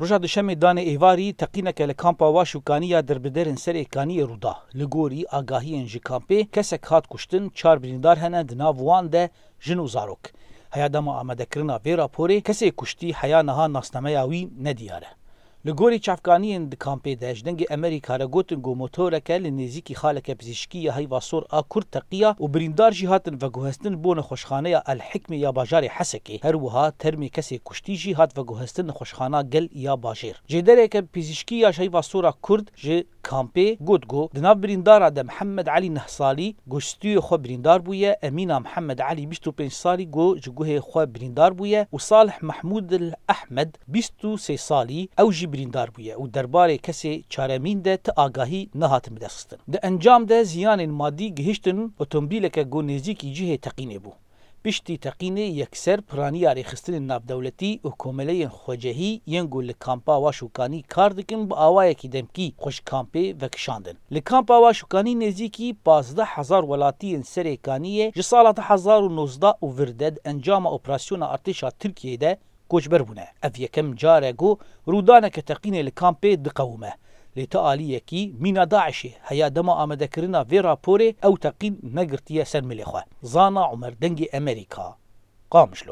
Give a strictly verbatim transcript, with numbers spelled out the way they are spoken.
Roja Duşemê danê êvarî teqîneke li kampa Waş û Kanî ya derbiderên Serê Kaniyê rû da. Li gorî agahiyên ji kampê kesek hat kuştin, çar birîndar hene, di nav wan de jin û zarok. Heya dema amadekirina vê raporê kesê kuştî heya niha nasnameya wî nediyar e. Li gorî çavkaniyên di kampê de ji Dengê Emerîka re gotin ku motoreke li nêzîkî xaleke pizîşkî ya Heyva Sor a Kurd teqiya û birîndar jî hatin veguhestin bo nexweşxaneya El Hikmê ya bajarê Hesekê. Her wiha termê kesê kuştî jî hat veguhestin nexweşxana Gel ya bajêr. Jêdereke pizîşkî ya ji Heyva Sor a Kurd ji kampê got ku di nav birîndara de Mihemed Elî neh salî ku ji stûyê xwe birîndar bûye, Emîna Mihemed Elî bîst û pênc salî ku ji guhê xwe birîndar bûye û Salih Mehmûd El Ehmed bîst û sê salî ew jî birîndar bûye û derbarê kesê çaremîn de ti agahî nehatin bidestxistin. Di encam de ziyanên madî gihiştin otomobîleke ku nêzîkî cihê teqînê bû. Piştî teqînê yekser piraniya rêxistinên navdewletî û komeleyên xwecehî yên ku li kampa Waş û Kanî kar dikin bi awayekî demkî xwe ji kampê vekişandin. Li kampa Waş û Kanî nêzîkî pazdeh hezar welatiyên Serê Kaniyê ji sala du hezar û nozdeh û vir de di encama operasyona artêşa Tirkiyeyê de koçber bûne. Ev yekem car e ku rûdaneke teqînê li kampê diqewime. Lê ti aliyekî mîna DAIŞê heya dema amadekirina vê raporê ew teqîn negirtiye ser milê xwe. Zana Umer, Dengê Emerîka, Qamişlo.